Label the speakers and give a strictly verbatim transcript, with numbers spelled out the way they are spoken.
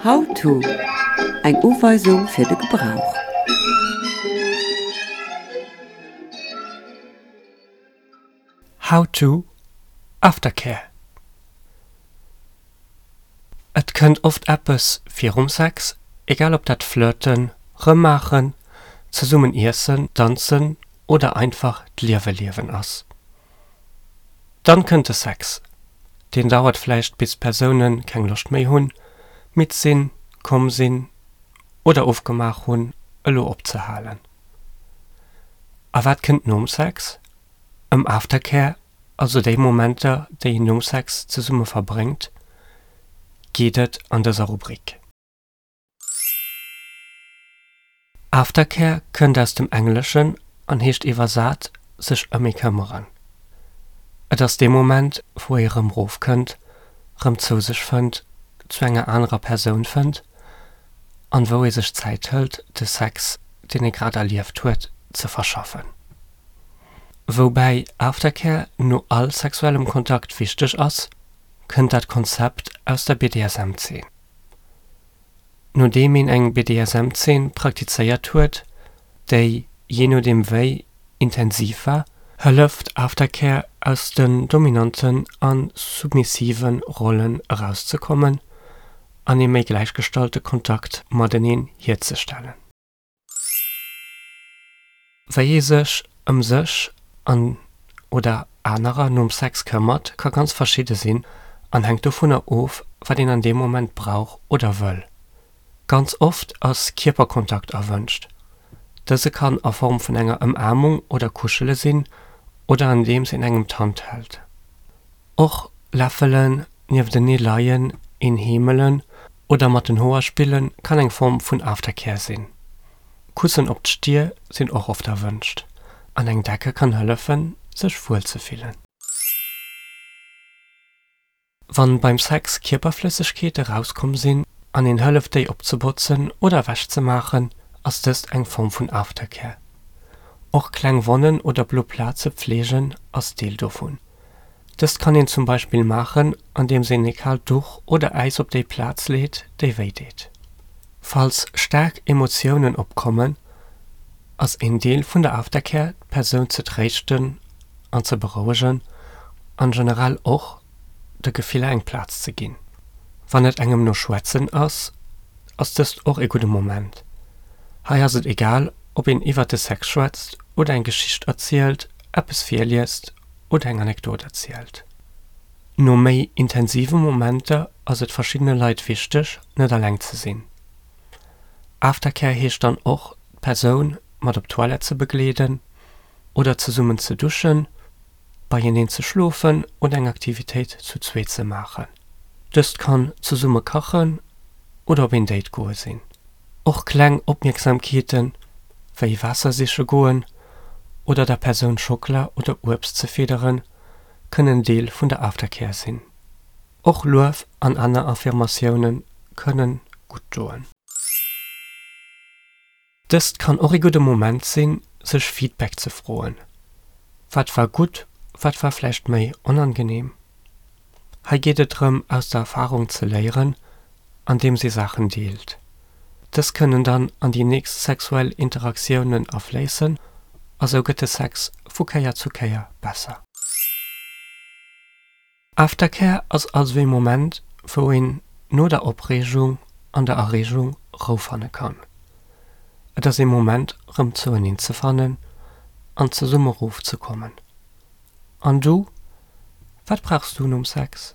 Speaker 1: How to, Eng Uweisung fir de Gebrauch.
Speaker 2: How to, Aftercare Et kënnt oft eppes virum Sex, egal ob dat Flirten, Rëmmaachen, zesummen iessen, danzen oder einfach d'Liewe liewen ass. Dann kënnt de Sex. Deen dauert vläicht bis d'Persoune keng Loscht méi hunn, midd sinn, komm sinn oder ofgemaach hunn, elo opzehalen. A wat kënnt nom Sex? Ëm Aftercare, also déi Momenter, déi een nom Sex zesumme verbréngt, geet et an dëser Rubrik. Aftercare kënnt aus dem Engleschen an heescht iwwersat sech ëm ee këmmeren. Et ass dee Moment, wou ee rëm rofkënnt, rëm zou sech fënnt, zu enger anerer Persoun fënnt an wou ee sech Zäit hëlt, de Sex, deen ee grad erlieft huet, ze verschaffen. Woubäi Aftercare no all sexuellem Kontakt wichteg ass, kënnt dat Konzept aus der B D S M-Zeen. Nodeem een eng B D S M-Zeen praktizéiert huet, déi, jee nodeem wéi, intensiv war, hëlleft Aftercare aus den dominanten a submissive Rollen erauszekommen an ee méi gläichgestallte Kontakt mateneen hierzestellen. Wéi ee sech ëm sech an oder anerer nom Sex këmmert, ka ganz verschidde sinn an hänkt dovunner of, wat een an deem Moment brauch oder wëll. Ganz oft ass Kierperkontakt erwënscht. Dëse kann a Form vun enger Ëmaarmung oder Kuschele sinn oder andeems een engem d'Hand hält. Och läffelen, nieftenee leien, een heemelen oder mat den Hoer spille kann eng Form vun Aftercare sinn. Kussen op d'Stier sinn och oft erwënscht an eng Decke kann hëllefen, sech wuel ze fillen. Wann beim Sex Kierperflëssegkeete rauskomm sinn an een hëlleft déi opzebotzen oder ewechzemaachen, ass dëst eng Form vun Aftercare. Och kleng Wonnen oder blo Plaze pfleegen ass Deel dovun. Dëst kann een zum Beispill maachen, andeems een e kaalt Duch oder Äis op déi Plaz leet, déi wéi deet. Falls staark Emotiounen opkommen, ass een Deel vun der Aftercare d'Persoun ze tréischten an ze berouegen an generell och de Gefiller eng Plaz ze ginn. Wann et engem no Schwätzen ass, ass dëst och e gudde Moment. Hei ass et egal, ob een iwwer de Sex schwätzt oder eng Geschicht erzielt, eppes virliest oder eng Anekdot erzielt. No méi intensive Momenter ass et verschiddene Leit wichteg, net alleng ze sinn. Aftercare heescht dann och, d'Persoun mat op d'Toilette ze begleeden oder zesummen ze duschen, beieneen ze schlofen oder eng Aktivitéit zu zwee ze maachen. Dëst kann zesumme kachen oder op een Date goe sinn. Och kleng Opmierksamkeeten, wéi Waasser siche goen oder der Persoun Schockela oder Uebst ze fidderen, kënnen Deel vun der Aftercare sinn. Och Luef an aner Affirmatioune kënnen gutt doen. Dëst kann och e gudde Moment sinn, sech Feedback ze froen. Wat war gutt, wat war vläicht méi onangenehm? Hei geet et drëm, aus der Erfarung ze léieren, andeems ee Saachen deelt. Dës kënnen dann an déi nächst sexuell Interaktiounen afléissen a sou gëtt de Sex vu Kéier zu Kéier besser. Aftercare ass also ee Moment, wou een no der Opreegung an der Erreegung Rou fanne kann. Et ass ee Moment, rëm zoueneen ze fannen an zesumme rofzekommen. An du? Wat brauchs du nom Sex?